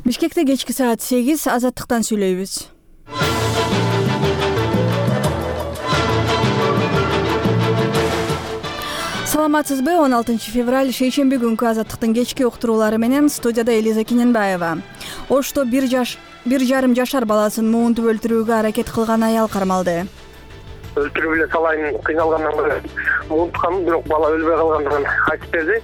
Бишкекте кечки саат 8 Азаттыктан сүйлөйбүз. Саламатсызбы? 16 февраль шейшемби күнкү Азаттыктын кечки уктуруулары менен студияда Элиза Киненбаева. Ошто 1,5 жашар баласын муунтуп өлтүрүүгө аракет кылган аял кармалды. Өлтүрүп эле салайын, кыйналгандан көрө муунткам, бирок бала өлбөй калгандыгын айтып берди.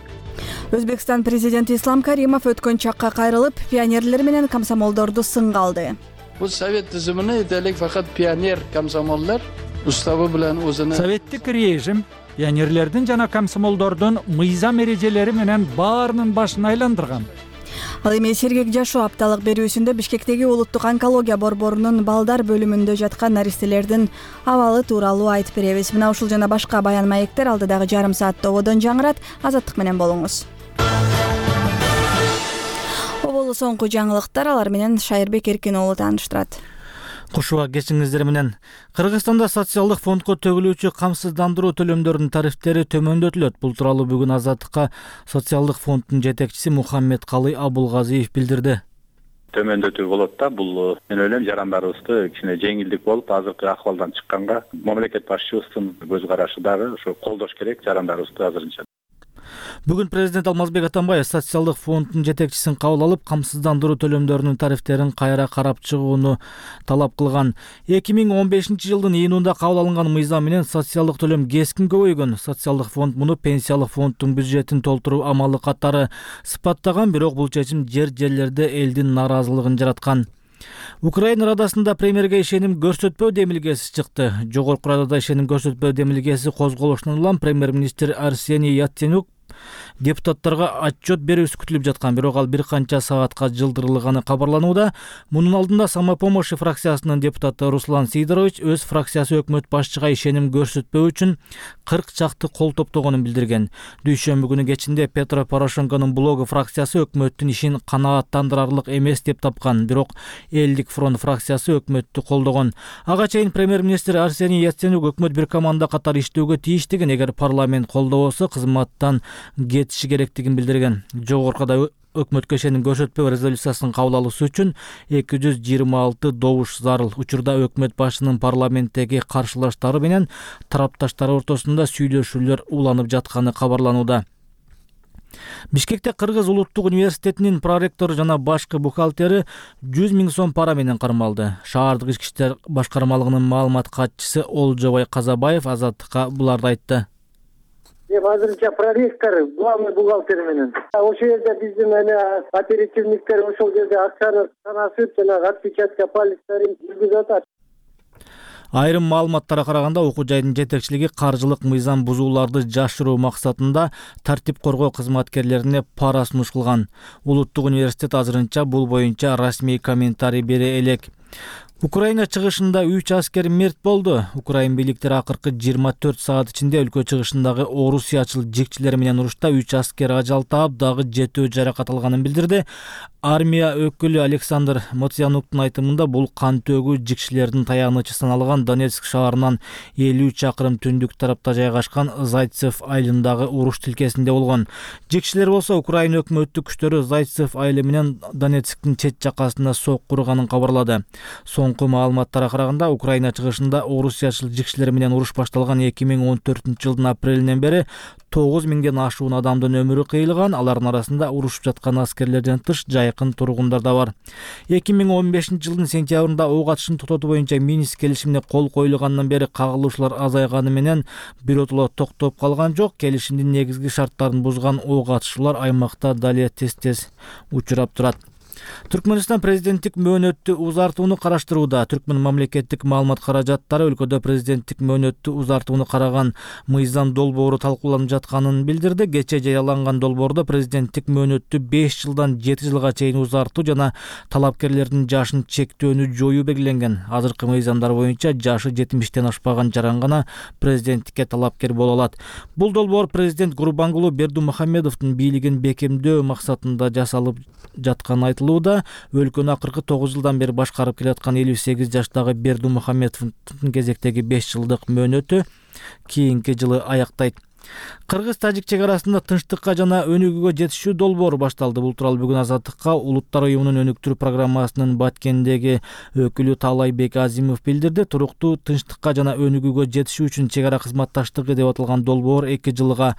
Өзбекстан президенти Ислам Каримов өткөн чакка кайрылып, пионерлер менен комсомолдорду сынга алды. Бул совет тизимине этелик факат пионер комсомолдор уставы менен өзүнө советтик режим пионерлердин жана комсомолдордун мыйзам эрежелери менен баарынын башын айландырган. Ал эми Сергек жашоо апталык берүүсүндө Бишкектеги улуттук онкология борборунун балдар бөлүмүндө жаткан наристелердин абалы тууралуу айтып беребиз. Мына ушул жана башка баян маектер алдыдагы жарым саатта ободон жаңырат. Азаттык менен болуңуз. Оболу соңку жаңылыктар, алар менен Шайырбек Эркин уулу тааныштырат. Кушуба кечиңиздер менен. Кыргызстанда социалдык фондко төгүлүүчү камсыздандыруу төлөмдөрүнүн тарифтери төмөндөтүлөт. Бул тууралуу бүгүн Азаттыкка социалдык фонддун жетекчиси Мухаммед Калый Абулгазиев билдирди. Төмөндөтүү болот да, бул мен ойлойм жарандарыбызды кичине жеңилдик болуп, азыркы акыбалдан чыкканга мамлекет башчыбыздын көз карашы дагы ошо колдош керек жарандарыбызды азырынча. Бүгүн президент Алмазбек Атамбаев социалдык фонддун жетекчисин кабыл алып, камсыздандыруу төлөмдөрүнүн тарифтерин кайра карап чыгууну талап кылган. 2015-жылдын июнунда кабыл алынган мыйзам менен социалдык төлөм кескин көбөйгөн. Социалдык фонд муну пенсиялык фонддун бюджетин толтуруу амалы катары сыпаттаган, бирок бул чечим жерлерде элдин нааразылыгын жараткан. Украина Радасында премьерге ишеним көрсөтпөө демилгеси чыкты. Жогорку Радада ишеним көрсөтпөө демилгеси козголушунан улам премьер-министр Арсений Яценюк депутаттарга отчет берүүсү күтүлүп жаткан, бирок ал бир канча саатка жылдырылганы кабарланууда. Мунун алдында Самопомощь фракциясынын депутаты Руслан Сидорович өз фракциясы өкмөт башчыга ишеним көрсөтпөө үчүн 40 чакты кол топтогонун билдирген. Дүйшөмбү күнү кечинде Петро Порошенконун блогу фракциясы өкмөттүн ишин канааттандырарлык эмес деп тапкан, бирок Элдик фронт фракциясы өкмөттү колдогон. Ага чейин премьер-министр Арсений Яценюк өкмөт бир команда катары иштөөгө тийиштигин, эгер парламент колдобосо кызматтан кетиши керектигин билдирген. Жогоркуда өкмөткө ишеним көрсөтпөө резолюциясын кабыл алуусу үчүн 226 добуш зарыл. Учурда өкмөт башчынын парламенттеги каршылаштары менен тарапташтары ортосунда сүйлөшүүлөр уланып жатканы кабарланууда. Бишкекте Кыргыз улуттук университетинин проректору жана башкы бухгалтери 100 000 сом пара менен кармалды. Шаардык ички иштер башкармалыгынын маалымат катчысы Олжобай Казабаев Азаттыкка буларды айтты. Азырынча проректор, главный бухгалтер менен. Ошол жерде биздин оперативниктер ошол жерде акчаны санасып, жана отпечатка пальцтерин жүргүзүп атат. Айрым маалыматтарга караганда, окуу жайдын жетекчилиги каржылык мыйзам бузууларды жашыруу максатында тартип коргоо кызматкерлерине пара сунуш кылган. Улуттук университет азырынча бул боюнча расмий комментарий бере элек. Украина чыгышында 3 аскер мерт болду. Украин бийликтери акыркы 24 саат ичинде өлкө чыгышындагы орусиячыл жикчилер менен урушта 3 аскер ажал таап, дагы 7 жаракат алганын билдирди. Армия өкүлү Александр Моцянуктун айтымында бул кан төгүү жикчилердин таянычы саналган Донецк шаарынан 50 чакырым түндүк тарапта жайгашкан Зайцев айылындагы уруш тилкесинде болгон. Жикчилер болсо Украина өкмөттүк күчтөрү Зайцев айылы менен Донецктин чет жакасында сокку урганын кабарлады. Соңку маалыматтарга караганда, Украина чыгышында орусиячыл жикчилер менен уруш башталган 2014-жылдын апрелинен бери 9000ден ашуун адамдын өмүрү кыйылган. Алардын арасында урушуп жаткан аскерлерден тыш жайкын тургундар да бар. 2015-жылдын сентябрында ок атышын токтотуу боюнча Минск келишимине кол коюлгандан бери кагылышуулар азайганы менен биротоло токтоп калган жок. Келишимдин негизги шарттарын бузган ок атышуулар аймакта дали тез учурап турат. Түркмөнстан президенттик мөөнөттү узартууну караштырууда. Түркмөн мамлекеттик маалымат каражаттары өлкөдө президенттик мөөнөттү узартууну караган мыйзам долбоору талкууланып жатканын билдирди. Кечээ жарыяланган долбоордо президенттик мөөнөттү 5 жылдан 7 жылга чейин узартуу жана талапкерлердин жашын чектөөнү жоюу белгиленген. Азыркы мыйзамдар боюнча жашы 70тен ашпаган жаран гана президенттикке талапкер боло алат. Бул долбоор президент Гурбангулу Бердымухамедовдун бийлигин бекемдөө максатында жасалып жатканы айтылууда. Өлкөнү акыркы 9 жылдан бери башкарып келаткан 58 жаштагы Бердымухамедовдун кезектеги 5 жылдык мөөнөтү кийинки жылы аяктайт. Кыргыз-тажик чек арасында тынчтыкка жана өнүгүүгө жетишүү долбоору башталды. Бул тууралуу бүгүн Азаттыкка Улуттар уюмунун өнүктүрүү программасынын Баткендеги өкүлү Таалайбек Азимов билдирди. Туруктуу тынчтыкка жана өнүгүүгө жетишүү үчүн чек ара кызматташтыгы деп аталган долбоор 2 жылга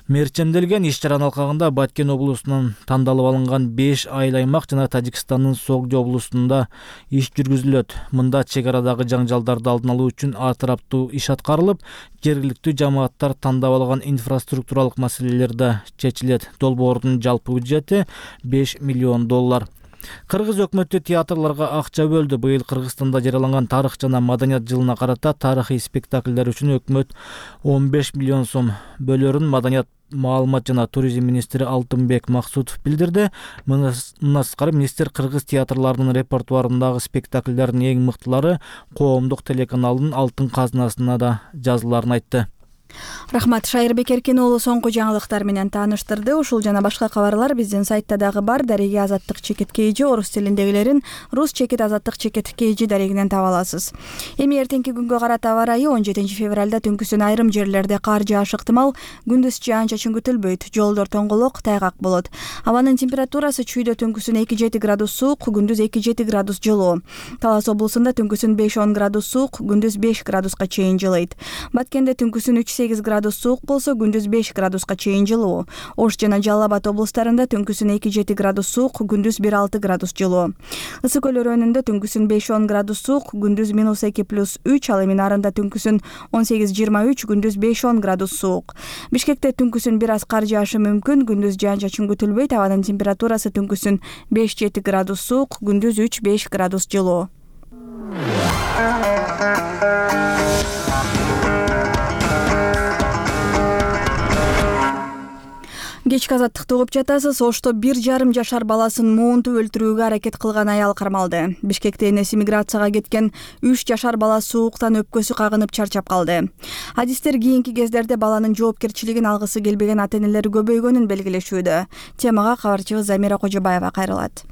мерчемделген. Иш-чаранын алкагында Баткен облусунун тандалып алынган 5 айыл аймак жана Тажикстандын Согдо облусунда иш жүргүзүлөт. Мында чек арадагы жаңжалдарды алдын алуу үчүн ар тараптуу иш аткарылып, жергиликтүү жамааттар тандап алган инфраструктуралык маселелер да чечилет. Долбоордун жалпы бюджети $5 миллион. Кыргыз өкмөтү театрларга акча бөлдү. Быйыл Кыргызстанда жарыяланган тарых жана маданият жылына карата тарыхый спектакльдер үчүн өкмөт 15 миллион сом бөлөрүн маданият, маалымат жана туризм министри Алтынбек Максутов билдирди. Мындан тышкары министр кыргыз театрларынын репертуарындагы спектакльдердин эң мыктылары коомдук телеканалдын алтын казынасына да жазыларын айтты. Рахмат. Шайырбек Эркин уулу соңку жаңылыктар менен тааныштырды. Ушул жана башка кабарлар биздин сайтта дагы бар. Дареги Азаттык чекит KG орус тилиндегилерин рус чекит Азаттык чекит KG дарегинен таба аласыз. Эми эртеңки күнгө карата аба ырайы 17 февралда түнкүсүн айрым жерлерде кар жаашы ыктымал, күндүз жаан-чачын күтүлбөйт. Жолдор тоңголок, тайгак болот. Абанын температурасы чүйдө түнкүсүн 2-7 градус суук, күндүз 2-7 градус жылуу. Талас облусунда түнкүсүн 5-10 градус суук, күндүз 5 градуска чейин жылыйт. Баткенде түнкүсүн 3-8 градус суук болсо, күндүз 5 градуска чейин жылуу. Ош жана Жалал Абад облустарында түнкүсүн 2-7 градус суук, күндүз 1-6 градус жылуу. Ысык көл өрөөнүндө түнкүсүн 5-10 градус суук, күндүз -2+3, ал эми нарында түнкүсүн 18-23, күндүз 5-10 градус суук. Бишкекте түнкүсүн бир аз кар жаашы мүмкүн, күндүз жаан-чачын күтүлбөйт. Абанын температурасы түнкүсүн 5-7 градус суук, күндүз 3-5 градус жылуу. Кечки Азаттыкты угуп жатасыз. Ошто 1,5 жашар баласын муунтуп өлтүрүүгө аракет кылган аял кармалды. Бишкекте энеси миграцияга кеткен 3 жашар бала сууктан өпкөсү кагынып чарчап калды. Адистер кийинки кездерде баланын жоопкерчилигин алгысы келбеген ата-энелер көбөйгөнүн белгилешүүдө. Темага кабарчыбыз Замира Кожобаева кайрылат.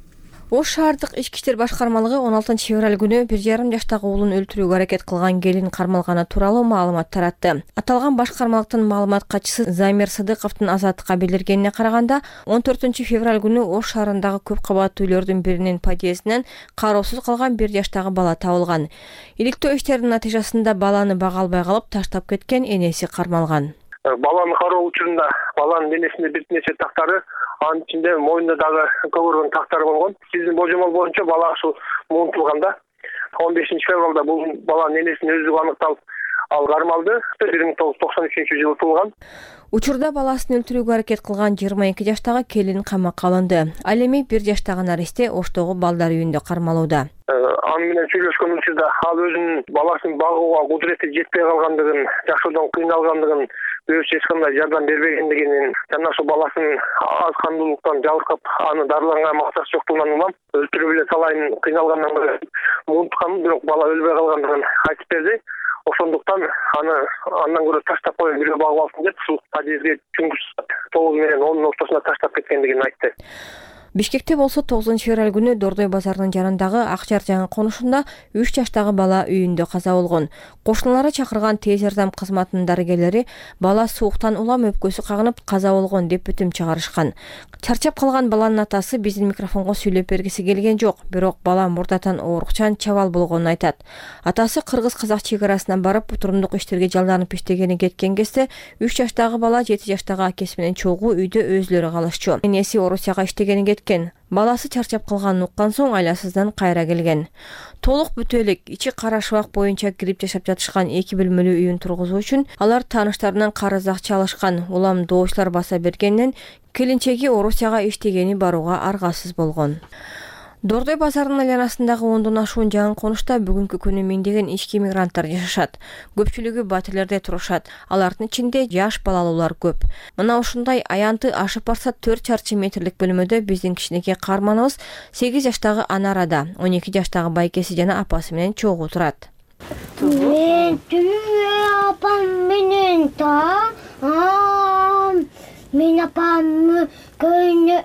Ош шаардык ички иштер башкармалыгы 16 февраль күнү 1,5 жаштагы уулун өлтүрүүгө аракет кылган келин кармалганы тууралуу маалымат таратты. Аталган башкармалыктын маалымат катчысы Замир Сыдыковдун Азаттыкка билдиргенине караганда, 14 февраль күнү Ош шаарындагы көп кабаттуу үйлөрдүн биринин подъездинен кароосуз калган 1 жаштагы бала табылган. Иликтөө иштеринин натыйжасында баланы бага албай калып таштап кеткен энеси кармалган. Баланы кароо учурунда баланын денесинде бир нече тактары, анын ичинде мойнунда дагы көбөргөн тактары болгон. Биздин божомол боюнча бала ушул муунтулганда 15 февралда бул баланын энесинин өздүгү аныкталып, ал кармалды. 1993-жылы туулган. Учурда баласын өлтүрүүгө аракет кылган 22 жаштагы келин камакка алынды. Ал эми 1 жаштагы наристе Оштогу балдар үйүндө кармалууда. Аны менен сүйлөшкөн учурда ал өзүнүн баласын багууга кудурети жетпей калгандыгын, жашоодон кыйналгандыгын, өзү эч кандай жардам бербегендигин жана ошо баласынын аз кандуулуктан жабыркап, аны дарыланга максаты жоктугунан улам өлтүрүп эле салайын, кыйналгандан көрө муунтканын, бирок бала өлбөй калгандыгын айтып берди. Ошондуктан аны андан көрө таштап коюп бирөө багып алсын деп ушул подъездге түнкү 9 менен 10 ортосунда таштап кеткендигин айтты. Бишкекте болсо 9 февраль күнү Дордой базарынын жанындагы Акчар жаңы конушунда 3 жаштагы бала үйүндө каза болгон. Кошуналары чакырган тез жардам кызматынын дарыгерлери бала сууктан улам өпкөсү кагынып каза болгон деп бүтүм чыгарышкан. Чарчап калган баланын атасы биздин микрофонго сүйлөп бергиси келген жок, бирок бала мурдатан оорукчан чабал болгонун айтат. Атасы кыргыз-казак чек арасына барып турумдук иштерге жалданып иштегени кеткен кезде 3 жаштагы бала 7 жаштагы акеси менен чогуу үйдө өзүлөрү калышчу. Энеси Орусияга иштегени кеткен. Баласы чарчап калганын уккан соң айласыздан кайра келген. Толук бүтө элек ичи кара шыбак боюнча кирип жашап жатышкан 2 бөлмөлүү үйүн тургузуу үчүн алар тааныштарынан карыз акча алышкан. Улам доочулар баса бергенден келинчеги Орусияга иштегени барууга аргасыз болгон. Дордой базарынын айланасындагы 10дон ашуун жаңы конушта бүгүнкү күнү миңдеген ички мигранттар жашашат. Көпчүлүгү батирлерде турушат. Алардын ичинде жаш балалуулар көп. Мына ушундай аянты ашып барса 4 чарчы метрлик бөлмөдө биздин кичинекей каарманыбыз 8 жаштагы Анарада, 12 жаштагы байкеси жана апасы менен чогуу турат. Мен апам менен мен апам кöyүнө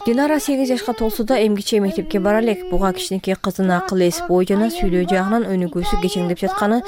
Динара 8 жашка толсо да эмгиче мектепке бара элек. Буга кичинекей кызынын акыл эс, бой жана сүйлөө жагынан өнүгүүсү кечеңдеп жатканы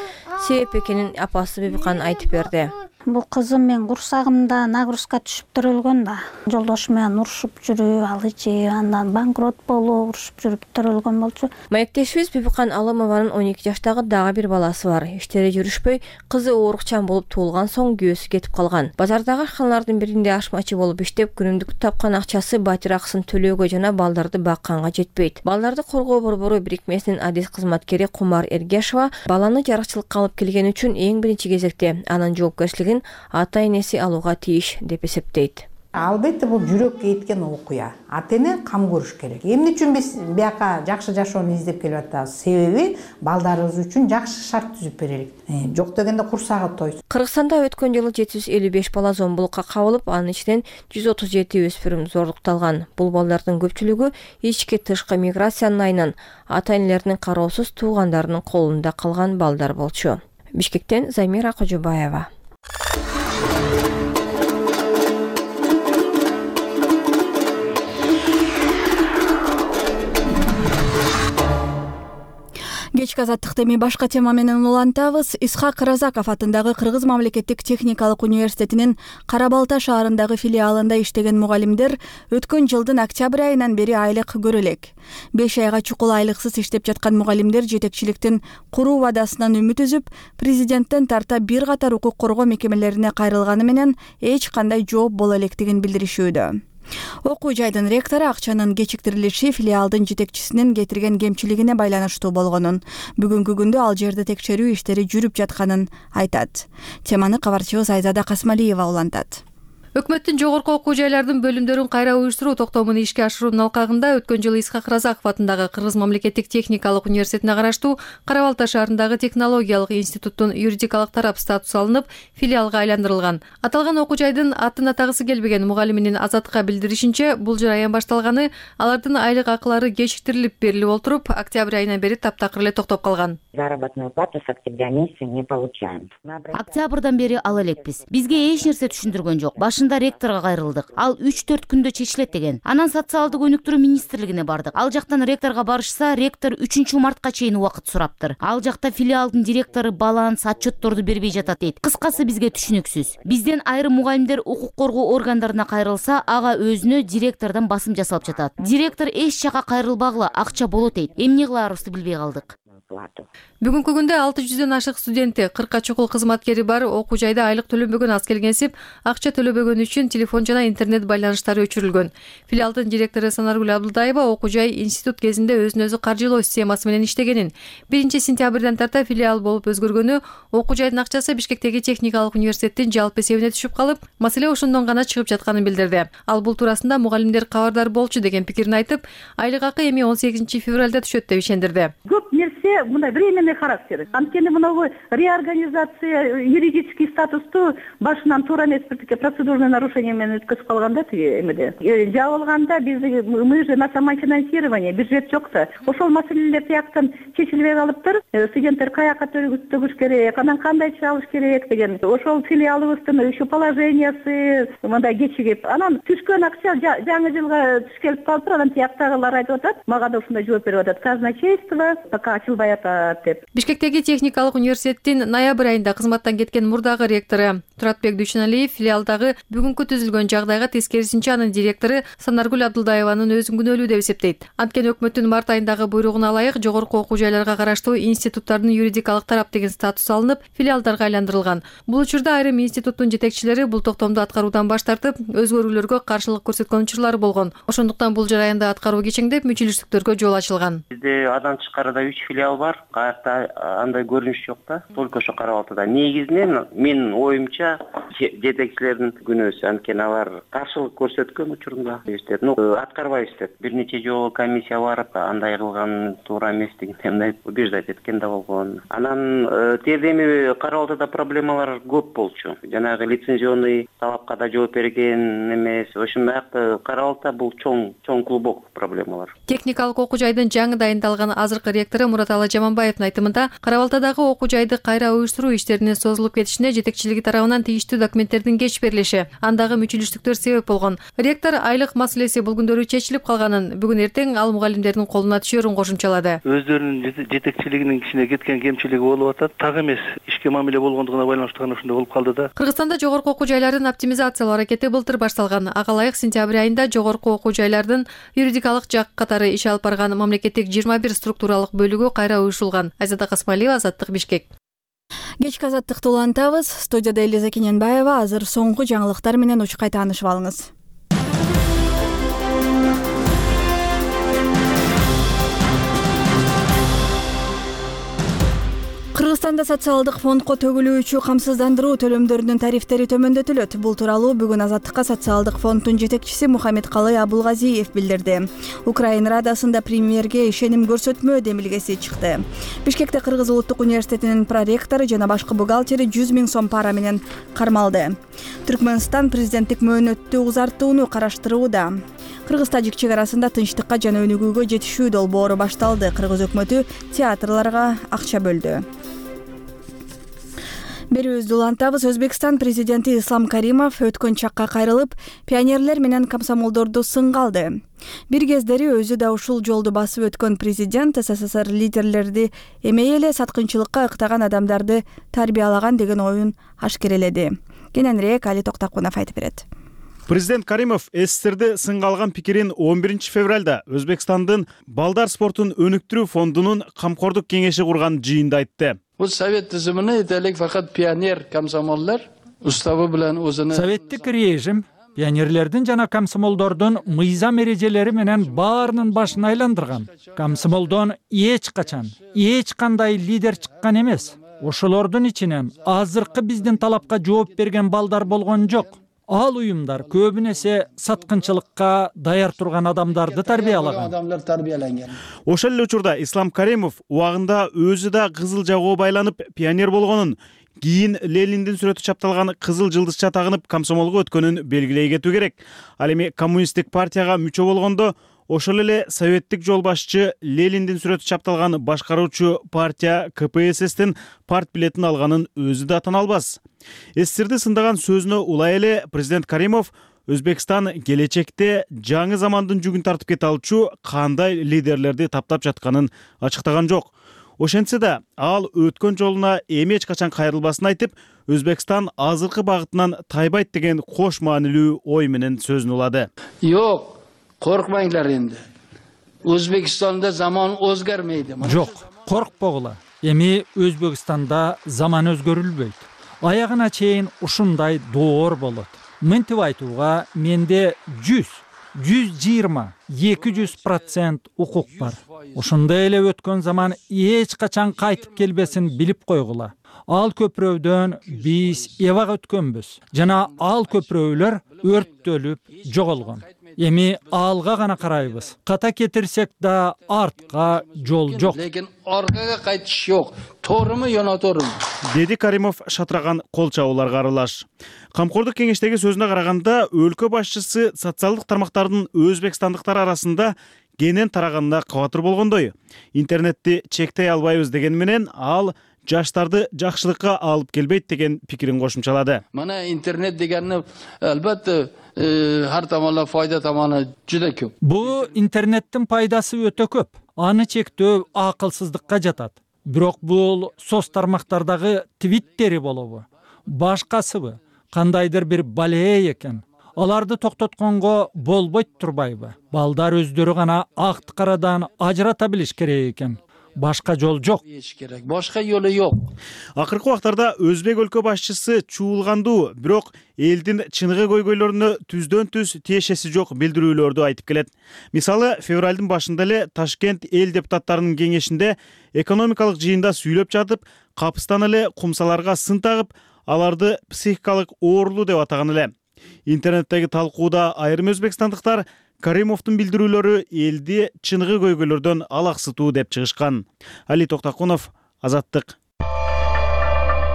себеп экенин апасы Бибикан айтып берди. Бул кызым мен курсагымда нагрузка түшүп төрөлгөн да. Жолдошу менен урушуп жүрүп, ал ичи андан банкрот болуп, урушуп жүрүп төрөлгөн болчу. Маектешибиз Бибикан Алымованын 12 жаштагы дагы бир баласы бар. Иштери жүрүшпөй, кызы оорукчан болуп туулган соң күйөөсү кетип калган. Базардагы ашканалардын биринде ашмачы болуп иштеп, күнүмдүк тапкан акчасы батир акысын төлөөгө жана балдарды бакканга жетпейт. Балдарды коргоо борбору бирикмесинин адис кызматкери Кумар Эргешова баланы жарыкчылыкка алып келген үчүн эң биринчи кезекте анын жоопкерчилигин ата-энеси алууга тийиш деп эсептейт. Албетте бул жүрөккө жеткен окуя. Ата-эне кам көрүш керек. Эмне үчүн биз бияка жакшы жашоону издеп келип атабыз? Себеби балдарыбыз үчүн жакшы шарт түзүп берелик. Жок дегенде курсагы тойсун. Кыргызстанда өткөн жылы 755 бала зомбулукка кабылып, анын ичинен 137 өспүрүм зордукталган. Бул балдардын көпчүлүгү ички тышкы миграциянын айынан ата-энелеринин кароосуз туугандарынын колунда калган балдар болчу. Бишкектен Замира Кожобаева. Кечки азаттыкты эми башка тема менен улантабыз. Исхак Разаков атындагы Кыргыз мамлекеттик техникалык университетинин Кара Балта шаарындагы филиалында иштеген мугалимдер өткөн жылдын октябрь айынан бери айлык көрө элек. 5 айга чукул айлыксыз иштеп жаткан мугалимдер жетекчиликтин куруу вадасынан үмүт үзүп, президенттен тарта бир катар укук коргоо мекемелерине кайрылганы менен эч кандай жооп боло электигин билдиришүүдө. Окуу жайдын ректору акчанын кечиктирилиши филиалдын жетекчисинин кетирген кемчилигине байланыштуу болгонун, бүгүнкү күндө ал жерде текшерүү иштери жүрүп жатканын айтат. Теманы кабарчыбыз Айзада Касмалиева улантат. Өкмөттүн жогорку окуу жайлардын бөлүмдөрүн кайра уюштуруу токтомун ишке ашыруунун алкагында өткөн жылы Исхак Разаков атындагы Кыргыз мамлекеттик техникалык университетине караштуу Кара Балта шаарындагы технологиялык институттун юридикалык тарап статусу алынып, филиалга айландырылган. Аталган окуу жайдын атын атагысы келбеген мугалиминин Азаттыкка билдиришинче, бул жыл аyan башталганы алардын айлык акылары кечиктирилип берилип олтуруп, октябрь айынан бери таптакыр эле токтоп калган. Заработную плату с октября месяца не получаем. Октябрдан бери ала элекпиз. Бизге эч нерсе түшүндүргөн жок. Башында ректорго кайрылдык. Ал 3-4 күндө чечилет деген. Анан социалдык өнүктүрүү министрлигине бардык. Ал жактан ректорго барышса, ректор 3-мартка чейин убакыт сураптыр. Ал жакта филиалдын директору баланс, отчетторду бербей жатат дейт. Кыскасы бизге түшүнүксүз. Бизден айрым мугалимдер укук коргоо органдарына кайрылса, ага өзүнө директордон басым жасалып жатат. Директор эч жака кайрылбагыла, акча болот дейт. Эмне кылаарыбызды билбей калдык. Бүгүнкү күндө 600дөн ашык студенти, 40 чукул кызматкери бар окуу жайда айлык төлөнбөгөн аз келгенсип, акча төлөбөгөн үчүн телефон жана интернет байланыштары өчүрүлгөн. Филиалдын директору Санаргүл Абдулдаева окуу жай институт кезинде өзүн өзү каржылоо системасы менен иштегенин, 1-сентябрдан тарта филиал болуп өзгөргөнү, окуу жайдын акчасы Бишкектеги техникалык университеттин жалпы эсебине түшүп калып, маселе ошондон гана чыгып жатканын билдирди. Ал бул туурасында мугалимдер кабардар болчу деген пикирин айтып, айлык акы эми 18 февралда түшөт деп ишендирди. Көп нерсе мындай временный характер. Анткени мынабу реорганизация юридический статусту башынан туура эмес бир процедурный нарушение менен өткөзүп калганда тиги эмеде. Жабылганда мы же на самофинансирование, бюджет жок да. Ошол маселелер тияктан чечилбей калыптыр. Студенттер каяка төгүш керек, анан кандай чалыш керек деген. Ошол филиалыбыздын еще положениясы мындай кечигип, анан түшкөн акча жаңы жылга түшкелип калыптыр. Анан тияктагылар айтып атат, мага да ушундай жооп берип атат. Казначейство пока ачылбай атат деп. Бишкектеги техникалык университеттин ноябрь айында кызматтан кеткен мурдагы ректору Туратбек Дүйшөналиев филиалдагы бүгүнкү түзүлгөн жагдайга тескерисинче анын директору Санаргүл Абдулдаеванын өзүн күнөөлүү деп эсептейт. Анткени өкмөттүн март айындагы буйругуна ылайык жогорку окуу жайларга караштуу институттардын юридикалык тарап деген статус алынып, филиалдарга айландырылган. Бул учурда айрым институттун жетекчилери бул токтомду аткаруудан баш тартып, өзгөрүүлөргө каршылык көрсөткөн учурлары болгон. Ошондуктан бул жараянда аткаруу кечеңдеп, мүчүлүштүктөргө жол ачылган. Бизде андан тышкарыда 3 филиал бар. Каякта андай көрүнүш жок да. Только ошо Кара Балтада. Негизинен менин оюмча жетекчилердин күнөөсү, анткени алар каршылык көрсөткөн учурунда иштеп, аткарбай иштеп. Бир нече жолу комиссия барып, андай кылган туура эмес дегендей убеждать эткен да болгон. Анан тиде эми Кара Балтада проблемалар көп болчу. Жанагы лицензионный талапка да жооп берген эмес. Ошон аякта Кара Балта бул чоң клубок проблемалар. Техникалык окуу жайдын жаңы дайындалган азыркы ректору Мураталы Жаманбаевдин айтымында Кара Балтадагы окуу жайды кайра уюштуруу иштеринин созулуп кетишине жетекчилиги тарабынан тийиштүү документтердин кеч берилиши, андагы мүчүлүштүктөр себеп болгон. Ректор айлык маселеси бул күндөрү чечилип калганын, бүгүн эртең ал мугалимдердин колуна түшөрүн кошумчалады. Өздөрүнүн жетекчилигинин кичине кеткен кемчилиги болуп атат. Так эмес ишке мамиле болгондугуна байланыштуу гана ушундай болуп калды да. Кыргызстанда жогорку окуу жайларын оптимизациялоо аракети былтыр башталган. Ага ылайык сентябрь айында жогорку окуу жайлардын юридикалык жак катары иш алып барган мамлекеттик 21 структуралык бөлүгү кайра уюшулган. Айзада Касмалиева, Азаттык, Бишкек. Кечки азаттыкты улантабыз. Студияда Элиза Кененбаева. Азыр соңку жаңылыктар менен учкай таанышып алыңыз. Кыргызстанда социалдык фондко төгүлүүчү камсыздандыруу төлөмдөрүнүн тарифтери төмөндөтүлөт. Бул тууралуу бүгүн Азаттыкка социалдык фонддун жетекчиси Мухаммедкалый Абулгазиев билдирди. Украина Радасында премьерге ишеним көрсөтмө демилгеси чыкты. Бишкекте Кыргыз улуттук университетинин проректору жана башкы бухгалтери 100 000 сом пара менен кармалды. Түркмөнстан президенттик мөөнөттү узартууну караштырууда. Кыргыз-тажик чек арасында тынчтыкка жана өнүгүүгө жетишүү долбоору башталды. Кыргыз өкмөтү театрларга акча бөлдү. Берүүбүздү улантабыз. Өзбекстан президенти Ислам Каримов өткөн чакка кайрылып, пионерлер менен комсомолдорду сынга алды. Бир кездери өзү да ушул жолду басып өткөн президент СССР лидерлерди эмей эле саткынчылыкка ыктаган адамдарды тарбиялаган деген оюн ашкереледи. Кененирээк Али Токтакунов айтып берет. Президент Каримов СССРди сынга алган пикирин 11 февралда Өзбекстандын балдар спортун өнүктүрүү фондунун камкордук кеңеши курган жыйында айтты. Bu Sovet tizimini edelik fakat pioner komsomollar ustabı bilen o'zini Советтик режим пионерлердин жана комсомолдордун мыйзам эрежелери менен баарынын башын айландырган. Комсомолдон эч качан, эч кандай лидер чыккан эмес. Ошолордун ичинен азыркы биздин талапка жооп берген балдар болгон жок. Ал уюмдар көбүнесе саткынчылыкка даяр турган адамдарды тарбиялаган. Ошол эле учурда Ислам Каримов убагында өзү да кызыл жагоо байланып пионер болгонун, кийин Лениндин сүрөтү чапталган кызыл жылдызча тагынып комсомолго өткөнүн белгилей кетүү керек. Ал эми коммунисттик партияга мүчө болгондо ошол эле советтик жол башчы Лениндин сүрөтү чапталган башкаруучу партия КПССтин парт билетин алганын өзү да тана албас. СССРди сындаган сөзүнө улай эле президент Каримов Өзбекстан келечекте жаңы замандын жүгүн тартып кете алчу кандай лидерлерди таптап жатканын ачыктаган жок. Ошентсе да ал өткөн жолуна эми эч качан кайрылбасын айтып, Өзбекстан азыркы багытынан тайбайт деген кош маанилүү ой менен сөзүн улады. Yok, korkmayınlar endi. O'zbekistonda zamon o'zgarmaydi. Жок, коркпогула. Эми Өзбекстанда заман өзгөрүлбөйт. Аягына чейин ушундай доор болот. Мынтип айтууга менде 120, 200% укук бар. Ошондой эле өткөн заман эч качан кайтып келбесин билип койгула. Ал көпүрөдөн биз эбак өткөнбүз. Жана ал көпүрөлөр өрттөлүп жоголгон. Эми алга гана карайбыз. Ката кетирсек да артка жол жок. Lekin orqaga qaytish yo'q. To'g'rimi yo noto'g'rimi? Деди Каримов шатыраган кол чабууларга аралаш. Камкордук кеңештеги сөзүнө караганда, өлкө башчысы социалдык тармактардын өзбекстандыктар арасында кенен тараганына кабатыр болгондой. Интернетти чектей албайбыз деген менен ал жаштарды жакшылыкка алып келбейт деген пикирин кошумчалады. Mana internet deganni albatta har tomonlama foyda tomoni juda ko'p. Бул интернеттин пайдасы өтө көп. Аны чектөө акылсыздыкка жатат. Бирок бул соц тармактардагы твиттери болобу, башкасыбы, кандайдыр бир балее экен. Аларды токтотконго болбойт турбайбы? Балдар өздөрү гана акты карадан ажырата билиш керек экен. Башка жол жок. Башка жолу жок. Акыркы убактарда Өзбек өлкө башчысы чуулгандуу, бирок элдин чыныгы көйгөйлөрүнө түздөн түз тиешеси жок билдирүүлөрдү айтып келет. Мисалы, февралдын башында эле Ташкент эл депутаттарынын кеңешинде экономикалык жыйында сүйлөп жатып, капыстан эле кумсаларга сын тагып, аларды психикалык оорулуу деп атаган эле. Интернеттеги талкууда айрым өзбекстандыктар Каримовдун билдирүүлөрү элди чыныгы көйгөйлөрдөн алаксытуу деп чыгышкан. Али Токтакунов, Азаттык.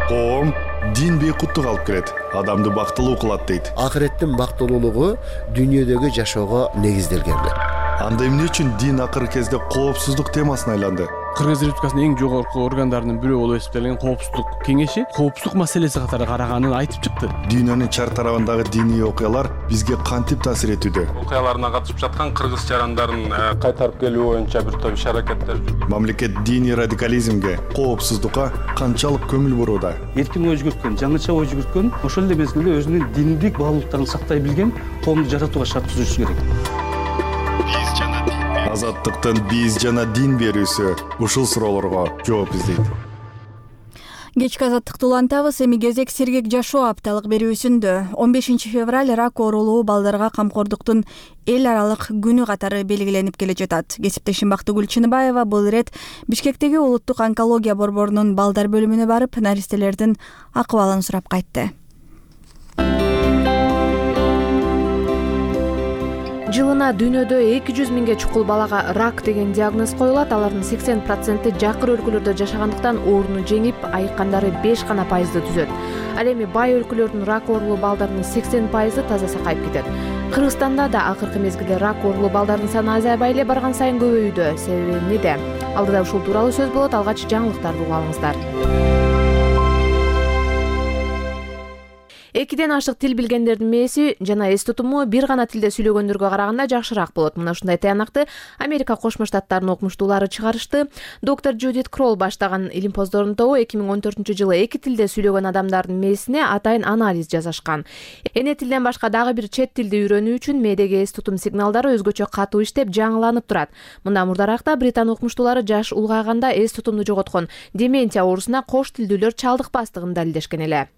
Коом дин бейкуттук алып келет, адамды бактылуу кылат дейт. Акыреттин бактылуулугу дүйнөдөгү жашоого негизделген. Анда эмне үчүн дин акыркы кезде коопсуздук темасына айланды? Кыргыз Республикасынын эң жогорку органдарынын бирөө болуп эсептелген Коопсуздук кеңеши коопсуздук маселеси катары караганын айтып чыкты. Дүйнөнүн чар тарабындагы диний окуялар бизге кантип таасир этүүдө? Окуяларына катышып жаткан кыргыз жарандарын кайтарып келүү боюнча бир топ иш-аракеттер жүрүп. Мамлекет диний радикализмге, коопсуздукка канчалык көңүл бурууда? Эркин ой жүгүрткөн, жаңыча ой жүгүрткөн, ошол эле мезгилде өзүнүн диндик баалуулуктарын сактай билген коомду жаратууга шарт түзүшү керек. Азаттыктын биз жана дин берүүсү ушул суроолорго жооп издейт. Кечки азаттыкты улантабыз. Эми кезек сергек жашоо апталык берүүсүндө 15 февраль рак оорулуу балдарга камкордуктун эл аралык күнү катары белгиленип келе жатат. Кесиптешим Бактыгүл Чыныбаева бул ирет Бишкектеги улуттук онкология борборунун балдар бөлүмүнө барып, наристелердин акыбалын сурап кайтты. Жылына дүйнөдө 200 миңге чукул балага рак деген диагноз коюлат. Алардын 80% жакыр өлкөлөрдө жашагандыктан ооруну жеңип, айыккандары 5 гана пайызды түзөт. Ал эми бай өлкөлөрдүн рак оорулуу балдарынын 80% таза сакайып кетет. Кыргызстанда да акыркы мезгилде рак оорулуу балдардын саны азайбай эле барган сайын көбөйүүдө. Себеби эмнеде? Алдыда ушул тууралуу сөз болот. Алгач жаңылыктарды угуп алыңыздар. 2ден ашык тил билгендердин мээси жана эс тутуму бир гана тилде сүйлөгөндөргө караганда жакшыраак болот. Мына ушундай таянакты Америка Кошмо Штаттарынын окумуштуулары чыгарышты. Доктор Джудит Кролл баштаган илим поздордун тобу 2014-жылы 2 тилде сүйлөгөн адамдардын мээсине атайын анализ жасашкан. Эне тилден башка дагы бир чет тилди үйрөнүү үчүн мээдеги эс тутум сигналдары өзгөчө катуу иштеп, жаңыланып турат. Мындан мурдаракта Британ окумуштуулары жаш улгайганда эс тутумду жоготкон дементия оорусуна кош тилдүүлөр чалдыкпастыгын далилдешкен эле.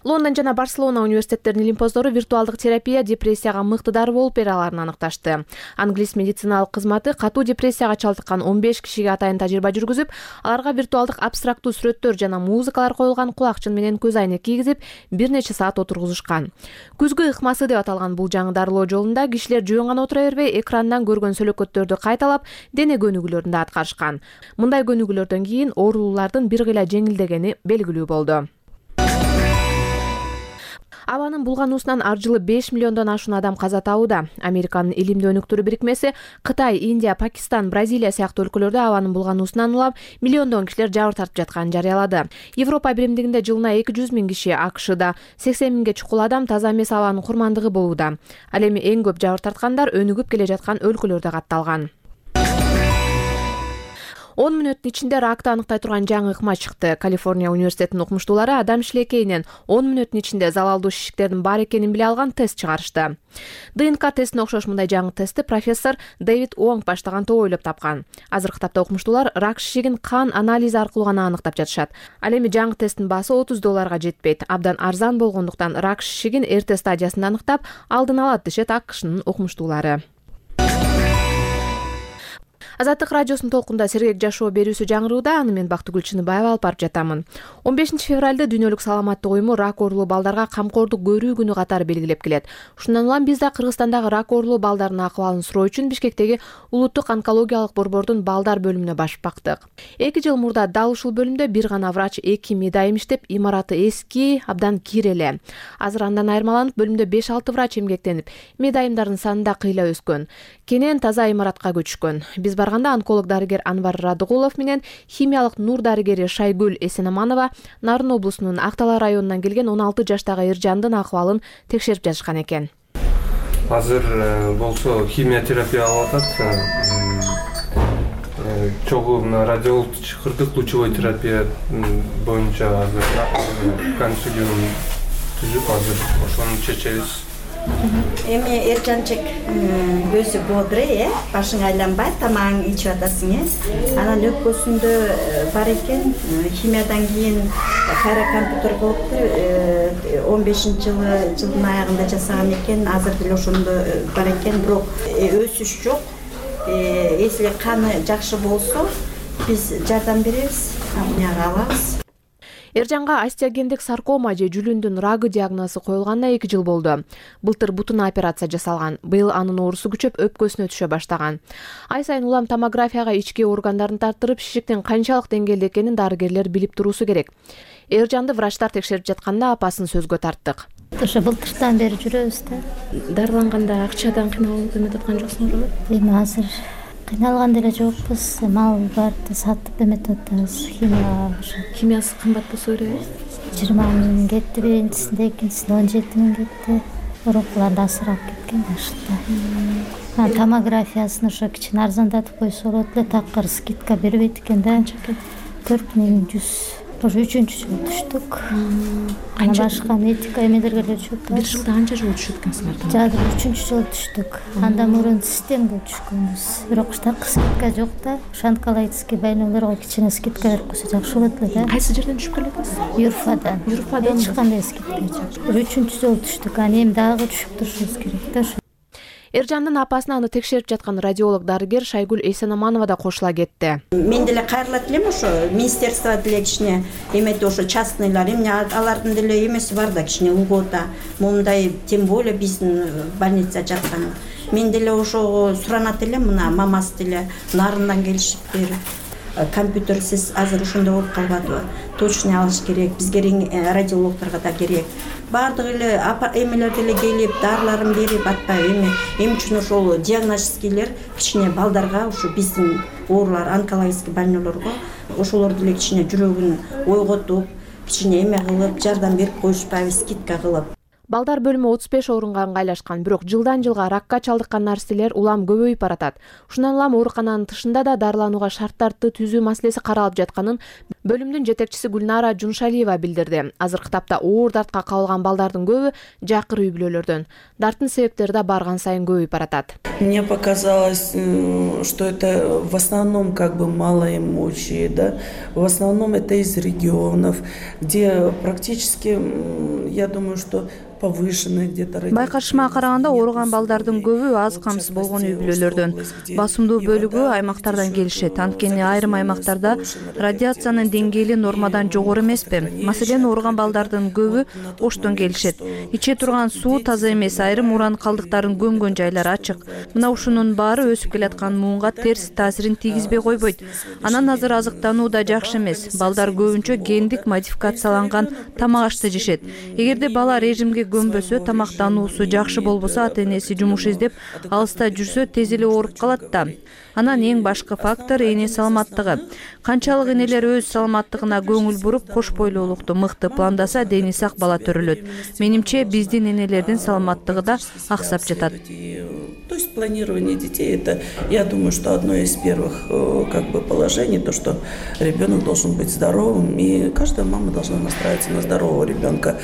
Лондон жана Барселона университеттеринин илим поздору виртуалдык терапия депрессияга мыкты дары болуп бере аларын аныкташты. Англис медициналык кызматы катуу депрессияга чалдыккан 15 кишиге атайын тажрыйба жүргүзүп, аларга виртуалдык абстрактуу сүрөттөр жана музыкалар коюлган кулакчын менен көз айнек кийгизип, бир нече саат отургузушкан. Күзгү ыкмасы деп аталган бул жаңы дарылоо жолунда кишилер жөн гана отура бербей, экрандан көргөн сөлөкөттөрдү кайталап, дене көнүгүүлөрүн да аткарышкан. Мындай көнүгүүлөрдөн кийин оорулуулардын бир кыйла жеңилдегени белгилүү болду. Абанын булгануусунан ар жылы 5 миллиондон ашуун адам каза табууда. Американын илимдүү өнүктүрүү бирикмеси Кытай, Индия, Пакистан, Бразилия сыяктуу өлкөлөрдө абанын булгануусунан улам миллиондон кишилер жабыр тартып жатканын жарыялады. Европа биримдигинде жылына 200 миң киши, AKШда 80 миңге чукул адам таза эмес абанын курмандыгы болууда. Ал эми эң көп жабыр тарткандар өнүгүп келе жаткан өлкөлөрдө катталган. 10 мүнөттүн ичинде ракты аныктай турган жаңы ыкма чыкты. Калифорния университетинин окумуштуулары адам шилекейинен 10 мүнөттүн ичинде залалдуу шишиктердин бар экенин биле алган тест чыгарышты. ДНК тестине окшош мындай жаңы тестти профессор Дэвид Уонг баштаган топ ойлоп тапкан. Азыркы тапта окумуштуулар рак шишигин кан анализи аркылуу гана аныктап жатышат. Ал эми жаңы тесттин баасы $30 жетпейт. Абдан арзан болгондуктан рак шишигин эрте стадиясында аныктап, алдын алат дешет AKШнын окумуштуулары. Азаттык радиосунун толкунда сергек жашоо берүүсү жаңырууда. Аны мен Бактыгүл Чыныбаева алып барып жатамын. 15 февралда дүйнөлүк саламаттык уюму рак оорулуу балдарга камкордук көрүү күнү катары белгилеп келет. Ушундан улам биз да Кыргызстандагы рак оорулуу балдардын акыбалын суроо үчүн Бишкектеги улуттук онкологиялык борбордун балдар бөлүмүнө башып бактык. 2 жыл мурда дал ушул бөлүмдө бир гана врач, 2 медайым иштеп, имараты эски, абдан кир эле. Азыр андан айырмаланып, бөлүмдө 5-6 врач эмгектенип, медайымдардын саны да кыйла өскөн. Кенен таза имаратка көчкөн. Биз барганда онколог дарыгер Анвар Радыгулов менен химиялык нур дарыгери Шайгүл Эсенаманова Нарын облусунун Актала районунан келген 16 жаштагы Эржандын акыбалын текшерип жатышкан экен. Азыр болсо химиотерапия алып атат. Чогуу радиолучкырдык лучевой терапия боюнча азыр консилиум түзүп азыр ошону чечебиз. Эми Эржанчык өзү бодрый, башың айланбайт, тамагың ичип атасың. Анан өпкөсүндө бар экен, химиядан кийин кайра компьютер болуптур, 15-жылдын аягында жасаган экен, азыр деле ошондо бар экен, бирок өсүш жок. Если каны жакшы болсо, биз жардам беребиз, амнияга алабыз. Эржанга остеогендик саркома же жүлүндүн рагы диагнозу коюлганына 2 жыл болду. Былтыр бутуна операция жасалган. Быйыл анын оорусу күчөп өпкөсүнө түшө баштаган. Ай сайын улам томографияга ички органдарын тартырып, шишиктин канчалык деңгээлде экенин дарыгерлер билип туруусу керек. Эржанды врачтар текшерип жатканда апасын сөзгө тарттык. Ошо былтыртан бери жүрөбүз да. Дарыланганда акчадан кыйналып эметип аткан жоксуңарбы? Эми азыр Кыйналган деле жокпуз. Мал барды сатып эметип атабыз. Химиясы кымбат болсо беребиз. 20 миң кетти биринчисинде, экинчисинде 17 миң кетти. Урукуларды асырап кеткен башында. Томографиясын ошо кичине арзандатып койсо болот эле, такыр скидка бербейт экен да. 4100. Ошо 3-жыл түштүк. Башка медика эмелерге эле түшүп. Бир жылда канча жолу түшөт экенсиңер? Жада 3-жыл түштүк. Андан мурун системге түшкөнбүз. Бирок штатка скидка жок да. Онкологический больнойлорго кичине скидка берип койсо жакшы болот эле да. Кайсы жерден түшүп келесиз? Юрфадан. Эч кандай скидка жок. 3-жол түштүк. Аны эми дагы түшүп турушубуз керек да. Эржандын апасына аны текшерип жаткан радиолог дарыгер Шайгүл Эйсенаманова да кошула кетти. Мен деле кайрылат элем ошо министерство деле кичине эметип ошо частныйлар эмне алардын деле эмеси бар да, кичине льгота. Мондай тем более биздин больница жаткан. Мен деле ошого суранат элем, мына мамасы деле нарындан келишиптир. Компьютерсиз азыр ошондой болуп калбадыбы? Точный алыш керек, бизге радиологторго да керек. Бардыгы эле эмелер деле келип, дарыларын берип атпайбы эми үчүн ошол диагностикилер кичине балдарга, ошо биздин оорулар, онкологический больнойлорго ошолор деле кичине жүрөгүн ойготуп, кичине эме кылып, жардам берип коюшпайбы, скидка кылып. Балдар бөлүмү 35 орунга ыңгайлашкан, бирок жылдан жылга ракка чалдыккан наристелер улам көбөйүп баратат. Ушундан улам оорукананын тышында да дарыланууга шарттарды түзүү маселеси каралып жатканын бөлүмдүн жетекчиси Гүлнара Жуншалиева билдирди. Азыркы тапта оор дартка кабылган балдардын көбү жакыр үй бүлөлөрдөн. Дарттын себептери да барган сайын көбөйүп баратат. Мне показалось, что это в основном малоимущие, да, в основном это из регионов, где практически, я думаю, что повышенные где-то. Байкашыма караганда ооруган балдардын көбү аз камсыз болгон үй бүлөлөрдөн. Басымдуу бөлүгү аймактардан келишет. Анткени айрым аймактарда радиациянын деңгээли нормадан жогору эмеспи. Маселен, ооруган балдардын көбү Оштон келишет. Иче турган суу таза эмес, айрым уран калдыктарын көмгөн жайлар ачык. Мына ушунун баары өсүп келаткан муунга терс таасирин тийгизбей койбойт. Анан азыр азыктануу да жакшы эмес. Балдар көбүнчө гендик модификацияланган тамак ашты жешет. Эгерде бала режимге көмбөсө, тамактануусу жакшы болбосо, ата-энеси жумуш издеп алыста жүрсө, тез эле ооруп калат да. Анан эң башкы фактор эне саламаттыгы. Канчалык энелер өз саламаттыгына көңүл буруп, кош бойлуулукту мыкты пландаса, дени сак бала төрөлөт. Менимче, биздин энелердин саламаттыгы да аксап жатат. То есть планирование детей, это, я думаю, что одно из первых положений, то, что ребенок должен быть здоровым, и каждая мама должна настраиваться на здорового ребенка.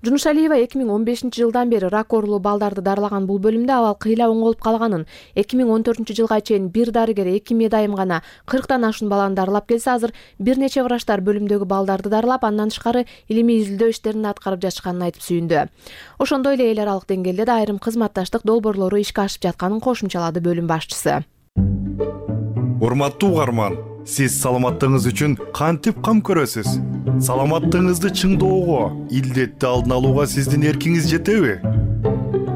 Жунушалиева 2015 жылдан бери рак оорулуу балдарды дарылаган бул бөлүмдө абал кыйла оңолуп калганын, 2014 жылга чейин бир дарыгер 2 медайым гана 40тан ашуун баланы дарылап келсе, азыр бир нече врачтар бөлүмдөгү балдарды дарылап, андан тышкары илимий изилдөө иштерин аткарып жатышканын айтып сүйүндү. Ошондой эле эл аралык деңгээлде да айрым кызматташтык долбоорлору ишке ашып жатканын кошумчалады бөлүм башчысы. Урматтуу угарман, сиз саламаттыгыңыз үчүн кантип кам көрөсүз? Саламаттыгыңызды чыңдоого, илдетти алдын алууга сиздин эркиңиз жетеби?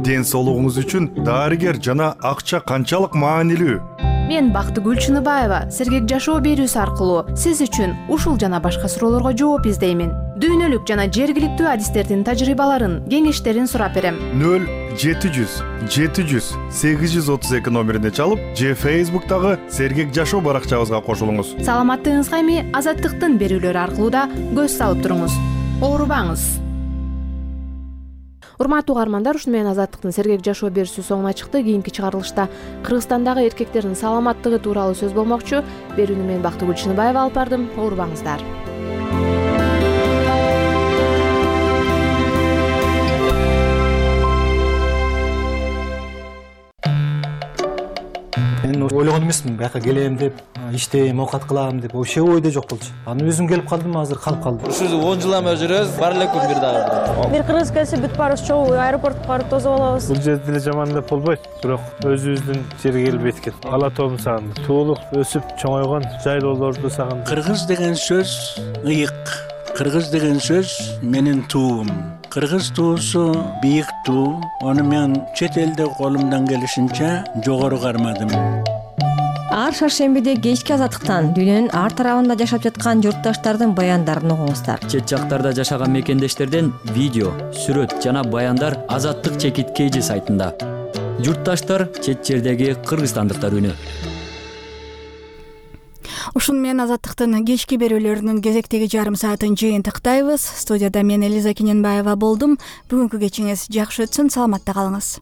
Ден соолугуңуз үчүн дарыгер жана акча канчалык маанилүү? Мен Бактыгүл Чыныбаева сергек жашоо берүүсү аркылуу сиз үчүн ушул жана башка суроолорго жооп издеймин. Дүйнөлүк жана жергиликтүү адистердин тажрыйбаларын, кеңештерин сурап берем. 0700 700 832 номерине чалып, же Facebook'тагы сергек жашоо баракчабызга кошулуңуз. Саламаттыгыңызга эми Азаттыктын берүүлөрү аркылуу да көз салып туруңуз. Оорубаңыз. Урматтуу угармандар, ушуну менен Азаттыктын сергек жашоо берүүсү соңуна чыкты. Кийинки чыгарылышта Кыргызстандагы эркектердин саламаттыгы тууралуу сөз болмокчу. Берүүнү мен Бактыгүл Чыныбаева алып бардым. Оорубаңыздар. Мен ойлогон эмесмин, бияка келем деп, иштейм, оокат кылам деп, вообще ойдо жок болчу. Аны өзүм келип калдым, азыр калып калдым. Ушул 10 жылдан бери жүрөбүз, бар элек күн бир дагы. Бир кыргыз келсе бүт баарыбыз чогуу аэропортко барып тосуп алабыз. Бул жерде деле жаман деп болбойт, бирок өзүбүздүн жерге келбейт экен. Ала тоомду сагындым. Туулуп, өсүп, чоңойгон жайлоолорду сагындым. Кыргыз деген сөз ыйык. Кыргыз деген сөз менин туум. Кыргыз туусу бийик туу. Аны мен чет элде колумдан келишинче жогору кармадым. Ар шаршембиде кечки Азаттыктан дүйнөнүн ар тарабында жашап жаткан журтташтардын баяндарын угуңуздар. Чет жактарда жашаган мекендештерден видео, сүрөт жана баяндар Азаттык чекит KG сайтында. Журтташтар чет жердеги кыргызстандыктар үнү. Ушуну менен Азаттыктын кечки берүүлөрүнүн кезектеги жарым саатын жыйынтыктайбыз. Студияда мен Элиза Кененбаева болдум. Бүгүнкү кечиңиз жакшы өтсүн, саламатта калыңыз.